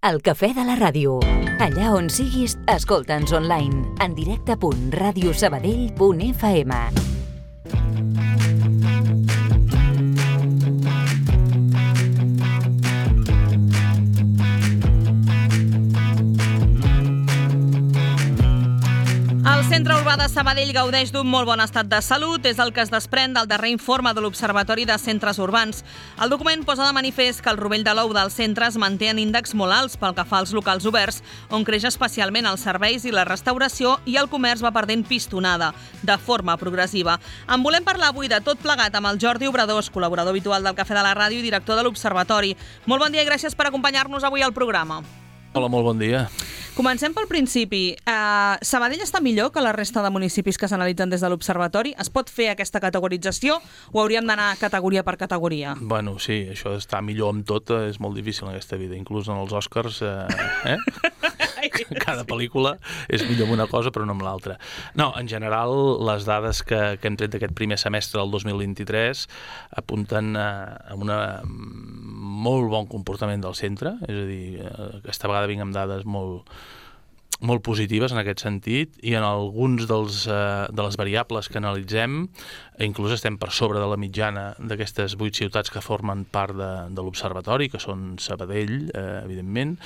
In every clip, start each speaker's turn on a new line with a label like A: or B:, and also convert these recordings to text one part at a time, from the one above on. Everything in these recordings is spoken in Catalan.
A: El cafè de la ràdio. Allà on siguis, escolta'ns online. En directe.radiosabadell.fm.
B: El Centre Urbà de Sabadell gaudeix d'un molt bon estat de salut, és el que es desprèn del darrer informe de l'Observatori de Centres Urbans. El document posa de manifest que el rovell de l'ou dels centres manté en índexs molt alts pel que fa als locals oberts, on creix especialment els serveis i la restauració i el comerç va perdent pistonada, de forma progressiva. En volem parlar avui de tot plegat amb el Jordi Obradors, col·laborador habitual del Cafè de la Ràdio i director de l'Observatori. Molt bon dia i gràcies per acompanyar-nos avui al programa.
C: Hola, molt bon dia.
B: Comencem pel principi. Sabadell està millor que la resta de municipis que s'analitzen des de l'Observatori? Es pot fer aquesta categorització o hauríem d'anar categoria per categoria?
C: Bueno, sí, això d'estar millor amb tot és molt difícil en aquesta vida, inclús en els Oscars, cada pel·lícula és millor amb una cosa però no amb l'altra. No, en general, les dades que hem tret d'aquest primer semestre del 2023 apunten a un molt bon comportament del centre, és a dir, aquesta vegada vinc amb dades molt positives en aquest sentit, i en alguns de les variables que analitzem inclús estem per sobre de la mitjana d'aquestes 8 ciutats que formen part de l'Observatori, que són Sabadell, evidentment,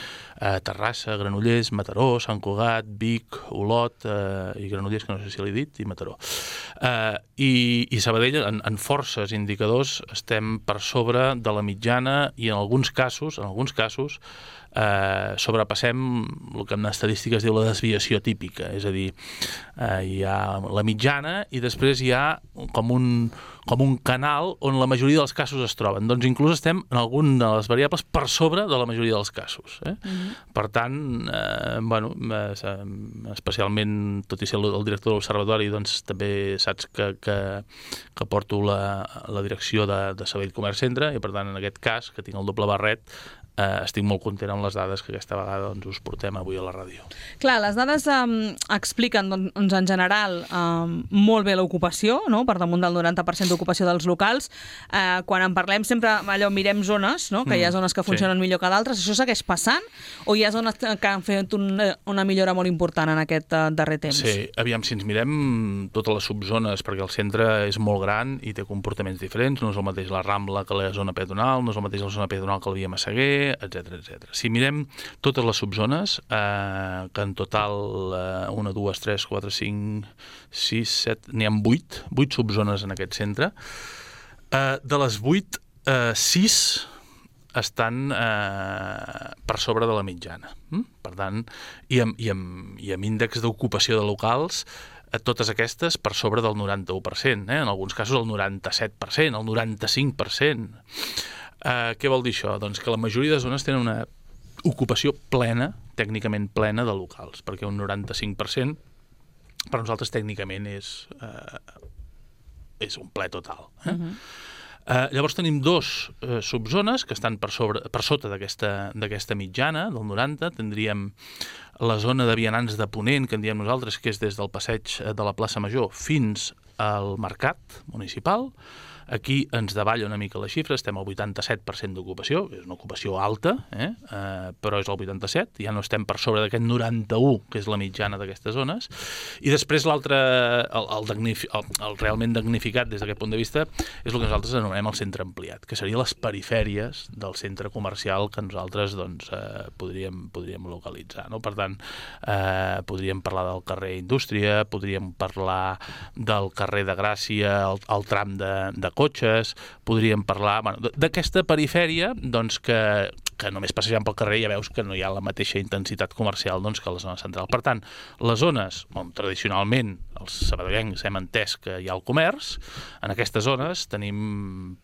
C: Terrassa, Granollers, Mataró, Sant Cugat, Vic, Olot i Granollers, que no sé si l'he dit, i Mataró. I Sabadell, en forces indicadors, estem per sobre de la mitjana i en alguns casos sobrepassem el que en estadístiques diu la desviació típica, és a dir, hi ha la mitjana i després hi ha com un canal on la majoria dels casos es troben. Doncs inclús estem en alguna de les variables per sobre de la majoria dels casos. Per tant, especialment, tot i ser el director de l'Observatori, doncs també saps que porto la direcció de Sabadell Comerç Centre i per tant, en aquest cas, que tinc el doble barret, estic molt content amb les dades que aquesta vegada us portem avui a la ràdio.
B: Clar, les dades expliquen en general molt bé l'ocupació, no? Per damunt del 90% d'ocupació dels locals. Quan en parlem sempre mirem zones, no? Que hi ha zones que funcionen millor que d'altres. Això segueix passant o hi ha zones que han fet una millora molt important en aquest darrer temps?
C: Sí, aviam, si ens mirem totes les subzones, perquè el centre és molt gran i té comportaments diferents, no és el mateix la Rambla que la zona peatonal, no és el mateix la zona peatonal que la via Massaguer, etc. Si mirem totes les subzones, que en total 1, 2, 3, 4, 5, 6, 7, n'hi ha 8 subzones en aquest centre. De les 8, 6 estan per sobre de la mitjana. Per tant, i amb índex d'ocupació de locals, totes aquestes per sobre del 91%, en alguns casos el 97%, el 95%. Què vol dir això? Doncs que la majoria de zones tenen una ocupació plena, tècnicament plena, de locals, perquè un 95% per nosaltres tècnicament és un ple total. Llavors tenim 2 subzones que estan per sota d'aquesta mitjana, del 90. Tindríem la zona de vianants de Ponent, que en diem nosaltres, que és des del passeig de la plaça Major fins al mercat municipal. Aquí ens davalla una mica la xifra, estem al 87% d'ocupació, és una ocupació alta, però és el 87%, ja no estem per sobre d'aquest 91%, que és la mitjana d'aquestes zones. I després l'altre, el realment damnificat des d'aquest punt de vista, és el que nosaltres anomenem el centre ampliat, que serien les perifèries del centre comercial que nosaltres podríem localitzar. Per tant, podríem parlar del carrer Indústria, podríem parlar del carrer de Gràcia, el tram de cotxes, podríem parlar d'aquesta perifèria que només passejant pel carrer ja veus que no hi ha la mateixa intensitat comercial que a la zona central. Per tant, les zones on tradicionalment els sabadellencs hem entès que hi ha el comerç, en aquestes zones tenim,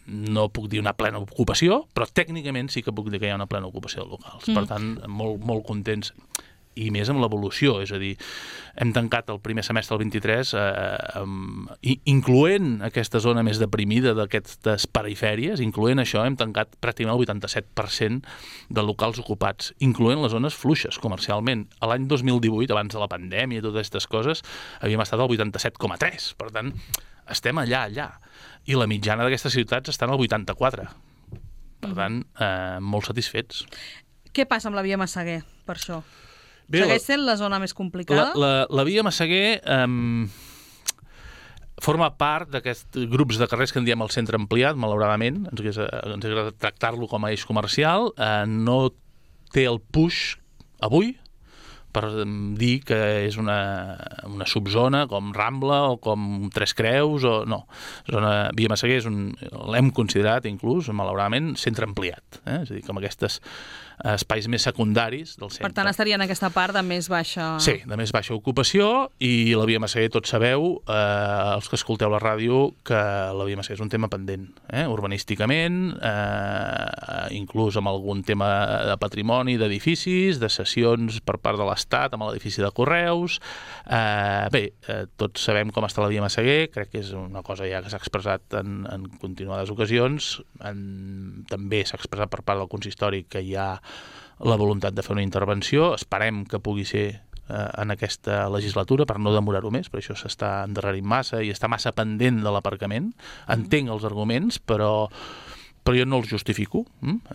C: no puc dir una plena ocupació, però tècnicament sí que puc dir que hi ha una plena ocupació de locals. Per tant, molt contents, i més amb l'evolució, és a dir, hem tancat el primer semestre del 23 incloent aquesta zona més deprimida d'aquestes perifèries, incloent això, hem tancat pràcticament el 87% de locals ocupats, incloent les zones fluixes comercialment. A l'any 2018, abans de la pandèmia i totes aquestes coses, havíem estat al 87,3%. Per tant, estem allà. I la mitjana d'aquestes ciutats està al 84%. Per tant, molt satisfets.
B: Què passa amb la via Massaguer, per això? Segueix sent la zona més complicada?
C: La via Massaguer forma part d'aquests grups de carrers que en diem el centre ampliat, malauradament. Ens agrada tractar-lo com a eix comercial. No té el push avui per dir que és una subzona com Rambla o com Tres Creus o no. Via Massaguer l'hem considerat inclús, malauradament, centre ampliat. És a dir, com aquests espais més secundaris del centre.
B: Per tant, estaria en aquesta part de més baixa...
C: Sí, de més baixa ocupació, i la via Massaguer, tots sabeu, els que escolteu la ràdio, que la via Massaguer és un tema pendent, urbanísticament, inclús amb algun tema de patrimoni, d'edificis, de cessions per part de l'Estat amb l'edifici de Correus. Tots sabem com està la via Massaguer, crec que és una cosa ja que s'ha expressat en continuades ocasions, també s'ha expressat per part del consistori que hi ha la voluntat de fer una intervenció. Esperem que pugui ser en aquesta legislatura per no demorar-ho més, per això s'està endarrerint massa i està massa pendent de l'aparcament. Entenc els arguments, però jo no els justifico.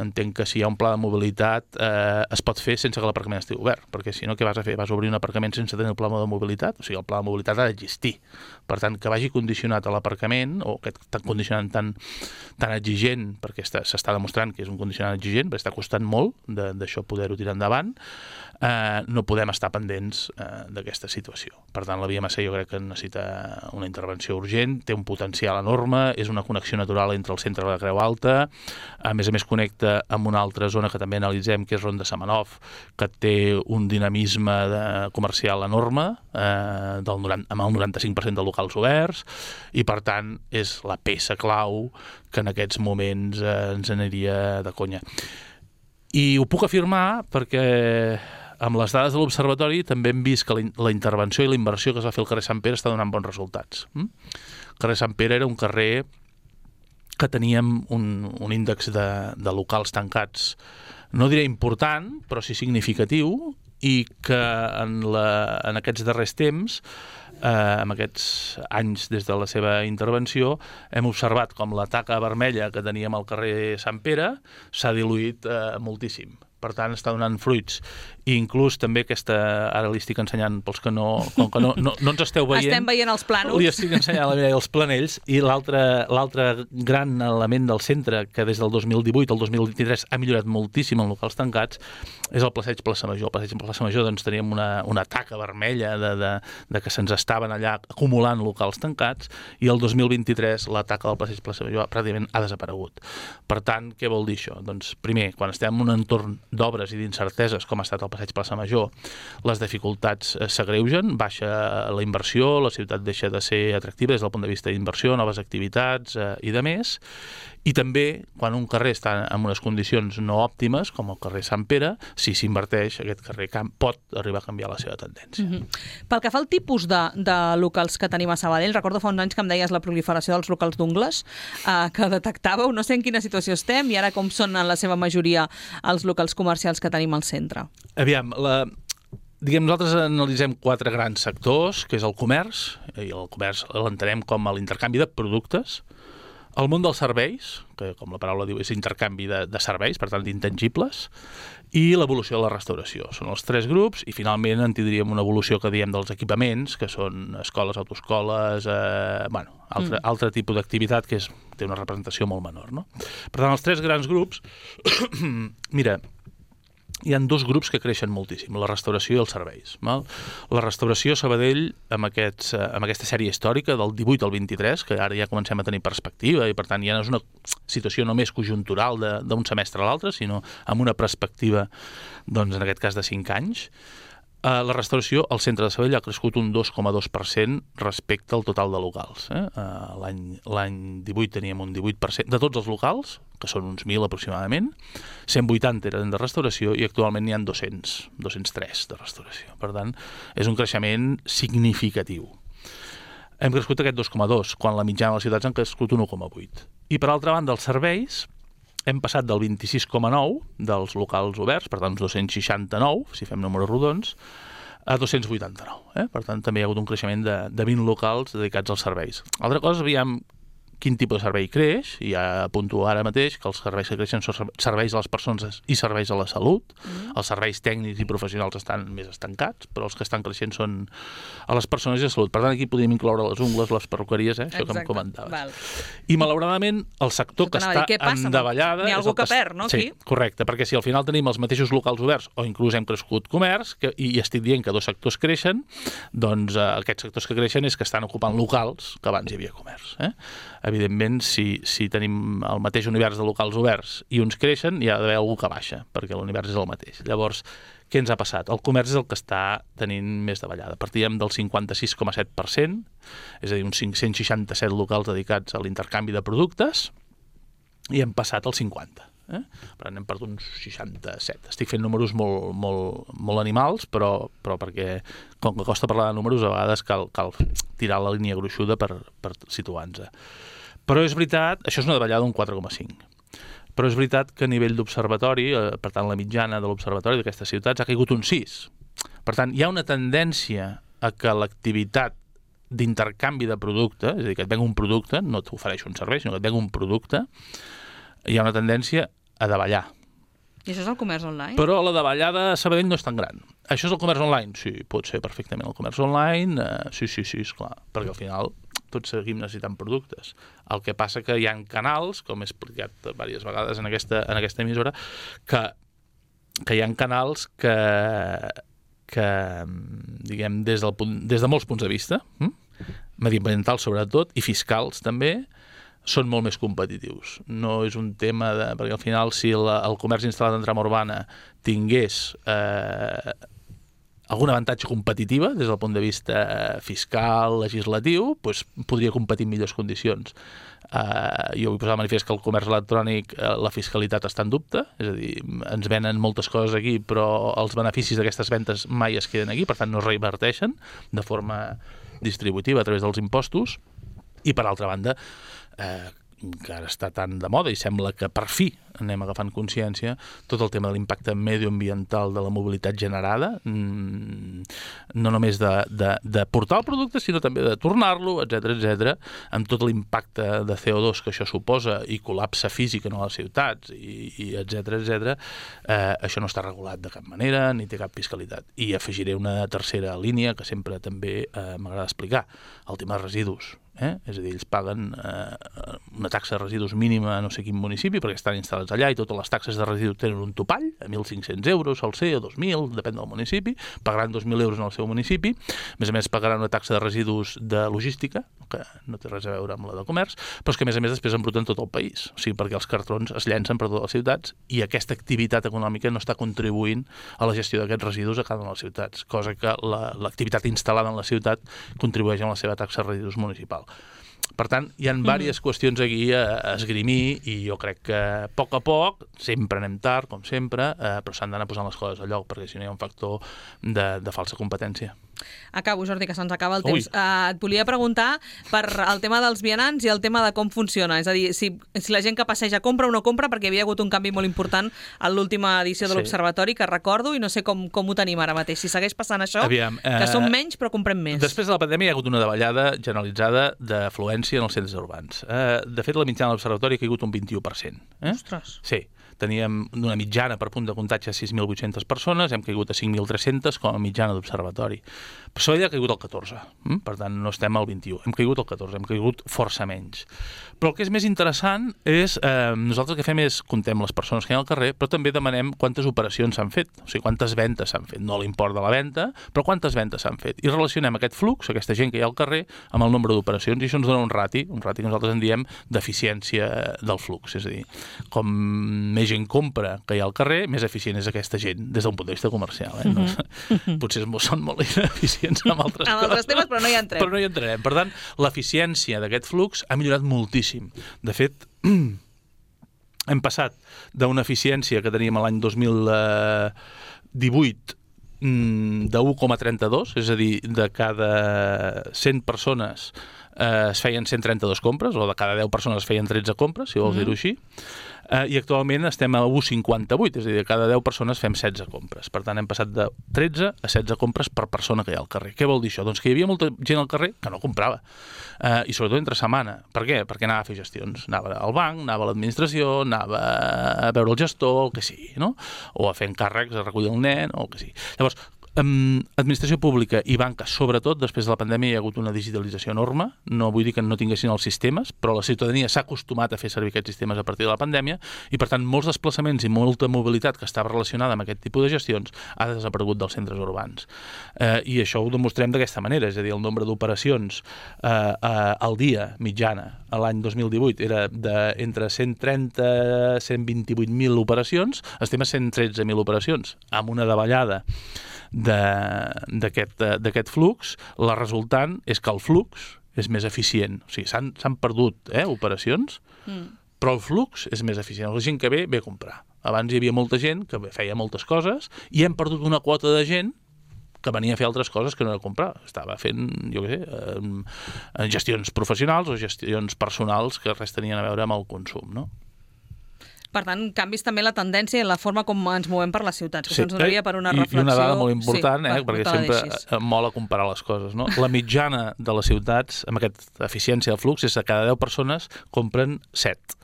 C: Entenc que si hi ha un pla de mobilitat es pot fer sense que l'aparcament estigui obert, perquè si no, què vas a fer? Vas a obrir un aparcament sense tenir el pla de mobilitat? O sigui, el pla de mobilitat ha d'existir. Per tant, que vagi condicionat a l'aparcament, o aquest condicionant tan exigent, perquè s'està demostrant que és un condicionant exigent, perquè està costant molt d'això poder-ho tirar endavant, no podem estar pendents d'aquesta situació. Per tant, la via Massaguer jo crec que necessita una intervenció urgent, té un potencial enorme, és una connexió natural entre el centre de la Creu Alta, a més connecta amb una altra zona que també analitzem, que és Ronda Semenov, que té un dinamisme comercial enorme, amb el 95% de locals oberts, i per tant és la peça clau que en aquests moments ens aniria de conya. I ho puc afirmar perquè amb les dades de l'Observatori també hem vist que la intervenció i la inversió que es va fer al carrer Sant Pere està donant bons resultats. El carrer Sant Pere era un carrer que teníem un índex de locals tancats, no diré important, però sí significatiu, i que en aquests darrers temps, en aquests anys des de la seva intervenció, hem observat com la taca vermella que teníem al carrer Sant Pere s'ha diluït moltíssim. Per tant, està donant fruits. I inclús també ara li estic ensenyant pels que com que no ens esteu veient.
B: Estem veient els plànols.
C: Li estic ensenyant la Mireia els planells, i l'altre gran element del centre, que des del 2018 al 2023 ha millorat moltíssim en locals tancats, és el passeig Plaça Major. Al passeig Plaça Major doncs, teníem una taca vermella de que se'ns estaven allà acumulant locals tancats, i el 2023 la taca del passeig Plaça Major pràcticament ha desaparegut. Per tant, què vol dir això? Doncs, primer, quan estem en un entorn d'obres i d'incerteses, com ha estat el passeig Plaça Major, les dificultats s'agreugen, baixa la inversió, la ciutat deixa de ser atractiva des del punt de vista d'inversió, noves activitats i de més. I també, quan un carrer està en unes condicions no òptimes, com el carrer Sant Pere, si s'inverteix, aquest carrer pot arribar a canviar la seva tendència.
B: Pel que fa al tipus de locals que tenim a Sabadell, recordo fa uns anys que em deies la proliferació dels locals d'ungles, que detectàveu, no sé en quina situació estem, i ara com són en la seva majoria els locals comercials que tenim al centre.
C: Aviam, nosaltres analitzem 4 grans sectors, que és el comerç, i el comerç l'entenem com l'intercanvi de productes, el món dels serveis, que com la paraula diu és intercanvi de serveis, per tant d'intangibles, i l'evolució de la restauració. Són els 3 grups, i finalment en tindríem una evolució que diem dels equipaments, que són escoles, autoescoles, altre tipus d'activitat que té una representació molt menor, no? Per tant, els 3 grans grups, mira, hi ha 2 grups que creixen moltíssim, la restauració i els serveis. La restauració a Sabadell, amb aquesta sèrie històrica del 18 al 23, que ara ja comencem a tenir perspectiva, i per tant ja no és una situació només conjuntural d'un semestre a l'altre, sinó amb una perspectiva, doncs, en aquest cas de 5 anys. La restauració al centre de Sabadell ha crescut un 2,2% respecte al total de locals. L'any 18 teníem un 18% de tots els locals, que són uns 1.000 aproximadament, 180 eren de restauració i actualment n'hi ha 203 de restauració. Per tant, és un creixement significatiu. Hem crescut aquest 2,2, quan la mitjana de les ciutats han crescut un 1,8. I per altra banda, els serveis, hem passat del 26,9 dels locals oberts, per tant, uns 269, si fem números rodons, a 289. Per tant, també hi ha hagut un creixement de 20 locals dedicats als serveis. Altra cosa, aviam, quin tipus de servei creix, i ja apunto ara mateix que els serveis que creixen són serveis a les persones i serveis a la salut. Els serveis tècnics i professionals estan més estancats, però els que estan creixent són a les persones i a la salut. Per tant, aquí podríem incloure les ungles, les perruqueries, això que em comentaves.
B: Val.
C: I malauradament, el sector que està en davallada...
B: N'hi ha algú que perd, no?
C: Sí, correcte, perquè si al final tenim els mateixos locals oberts o inclús hem crescut comerç, i estic dient que 2 sectors creixen, doncs aquests sectors que creixen és que estan ocupant locals que abans hi havia comerç. Evidentment, si tenim el mateix univers de locals oberts i uns creixen, hi ha d'haver algú que baixa, perquè l'univers és el mateix. Llavors, què ens ha passat? El comerç és el que està tenint més davallada. Partíem del 56,7%, és a dir, uns 567 locals dedicats a l'intercanvi de productes, i hem passat al 50%. Per tant, hem perdut uns 67. Estic fent números molt animals, però perquè, com que costa parlar de números, a vegades cal tirar la línia gruixuda per situar-nos. Però és veritat, això és una davallada d'un 4,5. Però és veritat que a nivell d'observatori, per tant, la mitjana de l'observatori d'aquestes ciutats ha caigut un 6. Per tant, hi ha una tendència a que l'activitat d'intercanvi de producte, és a dir, que et venga un producte, no t'ofereix un servei, sinó que et venga un producte, hi ha una tendència a davallar.
B: I això és el comerç online?
C: Però la davallada a Sabadell no és tan gran. Això és el comerç online? Sí, pot ser perfectament el comerç online. Sí, esclar, perquè al final tots seguim necessitant productes. El que passa que hi ha canals, com he explicat diverses vegades en aquesta emissora, que hi ha canals que diguem, des de molts punts de vista, mediambientals sobretot, i fiscals també, són molt més competitius. No és un tema perquè al final si el comerç instal·lat en trama urbana tingués algun avantatge competitiva des del punt de vista fiscal, legislatiu, doncs podria competir en millors condicions. Jo vull posar de manifest que el comerç electrònic, la fiscalitat està en dubte, és a dir, ens venen moltes coses aquí, però els beneficis d'aquestes ventes mai es queden aquí, per tant no es reinverteixen de forma distributiva a través dels impostos. I per altra banda, que ara està tan de moda i sembla que per fi anem agafant consciència, tot el tema de l'impacte medioambiental de la mobilitat generada, no només de portar el producte, sinó també de tornar-lo, etc., amb tot l'impacte de CO2 que això suposa i col·lapse físic en les ciutats, i etc., això no està regulat de cap manera, ni té cap fiscalitat. I afegiré una tercera línia que sempre també m'agrada explicar, el tema de residus. És a dir, ells paguen una taxa de residus mínima a no sé quin municipi perquè estan instal·lats allà i totes les taxes de residus tenen un topall, a 1.500 euros sol ser, o 2.000, depèn del municipi, pagaran 2.000 euros en el seu municipi, a més pagaran una taxa de residus de logística, que no té res a veure amb la de comerç, però és que a més després embruten tot el país, o sigui, perquè els cartrons es llencen per totes les ciutats i aquesta activitat econòmica no està contribuint a la gestió d'aquests residus a cada una de les ciutats, cosa que l'activitat instal·lada en la ciutat contribueix amb la seva taxa de residus municipal. Per tant, hi ha diverses qüestions aquí a esgrimir i jo crec que a poc, sempre anem tard, com sempre, però s'han d'anar posant les coses a lloc perquè si no hi ha un factor de falsa competència.
B: Acabo, Jordi, que se'ns acaba el temps. Et volia preguntar per el tema dels vianants i el tema de com funciona. És a dir, si la gent que passeja compra o no compra, perquè hi havia hagut un canvi molt important en l'última edició de l'Observatori, que recordo, i no sé com ho tenim ara mateix. Si segueix passant això, que som menys però comprem més.
C: Després de la pandèmia hi ha hagut una davallada generalitzada d'afluència en els centres urbans. De fet, la mitjana de l'Observatori ha caigut un 21%.
B: Ostres!
C: Sí. Teníem una mitjana per punt de contacte a 6.800 persones, hem caigut a 5.300 com a mitjana d'observatori. Però Sabadell ha caigut al 14, per tant no estem al 21, hem caigut al 14, hem caigut força menys. Però el que és més interessant és, nosaltres el que fem és comptem les persones que hi ha al carrer, però també demanem quantes operacions s'han fet, o sigui, quantes ventes s'han fet, no l'import de la venda, però quantes ventes s'han fet. I relacionem aquest flux, aquesta gent que hi ha al carrer, amb el nombre d'operacions, i això ens dona un rati que nosaltres en diem d'eficiència del flux, és a dir, com més gent compra que hi ha al carrer, més eficient és aquesta gent, des d'un punt de vista comercial. Potser són molt ineficients amb altres coses.
B: Amb altres temes, però no hi entrem.
C: Però no hi entrem. Per tant, l'eficiència d'aquest flux ha millorat moltíssim. De fet, hem passat d'una eficiència que teníem l'any 2018 de 1,32, és a dir, de cada 100 persones es feien 132 compres, o de cada 10 persones es feien 13 compres, si vols dir-ho així, i actualment estem a 1,58, és a dir, cada 10 persones fem 16 compres. Per tant, hem passat de 13 a 16 compres per persona que hi ha al carrer. Què vol dir això? Doncs que hi havia molta gent al carrer que no comprava, i sobretot entre setmana. Per què? Perquè anava a fer gestions. Anava al banc, anava a l'administració, anava a veure el gestor, el que sigui, no? O a fer encàrrecs, a recollir el nen, o el que sigui. Llavors, administració pública i banca, sobretot després de la pandèmia hi ha hagut una digitalització enorme. No vull dir que no tinguessin els sistemes, però la ciutadania s'ha acostumat a fer servir aquests sistemes a partir de la pandèmia i, per tant, molts desplaçaments i molta mobilitat que estava relacionada amb aquest tipus de gestions ha desaparegut dels centres urbans. I això ho demostrem d'aquesta manera, és a dir, el nombre d'operacions al dia mitjana a l'any 2018 era entre 130 i 128.000 operacions, estem a 113.000 operacions, amb una davallada d'aquest flux. La resultant és que el flux és més eficient. O sigui, s'han perdut operacions, però el flux és més eficient. La gent que ve a comprar. Abans hi havia molta gent que feia moltes coses i hem perdut una quota de gent que venia a fer altres coses que no era comprar. Estava fent, jo què sé, gestions professionals o gestions personals que res tenien a veure amb el consum, no?
B: Per tant, canvis també la tendència i la forma com ens movem per les ciutats, que això ens donaria per una reflexió.
C: I una dada molt important, perquè sempre mola comparar les coses, no? La mitjana de les ciutats, amb aquesta eficiència del flux, és que cada 10 persones compren 7.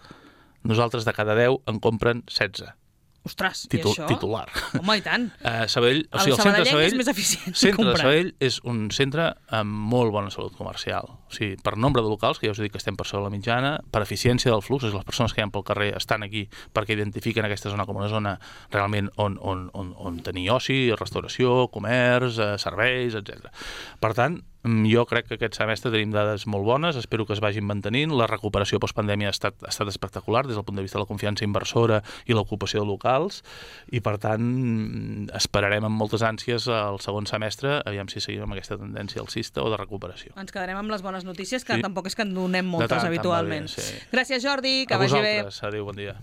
C: Nosaltres de cada 10 en compren 16.
B: Ostres, i això?
C: Titular.
B: Home, i tant.
C: Sabadell, o sigui, el centre de Sabadell
B: és més eficient.
C: El centre de Sabadell és un centre amb molt bona salut comercial. O sigui, per nombre de locals, que ja us dic que estem per sobre la mitjana, per eficiència del flux, les persones que hi ha pel carrer estan aquí perquè identifiquen aquesta zona com una zona realment on tenir oci, restauració, comerç, serveis, etc. Per tant, jo crec que aquest semestre tenim dades molt bones, espero que es vagin mantenint. La recuperació postpandèmia ha estat espectacular des del punt de vista de la confiança inversora i l'ocupació de locals, i per tant esperarem amb moltes ànsies el segon semestre, aviam si seguim amb aquesta tendència alcista o de recuperació.
B: Ens quedarem amb les bones notícies, que tampoc és que en donem moltes habitualment. Gràcies, Jordi, que vagi bé.
C: A vosaltres, adéu, bon dia.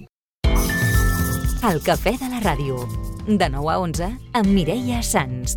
A: El Cafè de la Ràdio, de 9 a 11, amb Mireia Sans.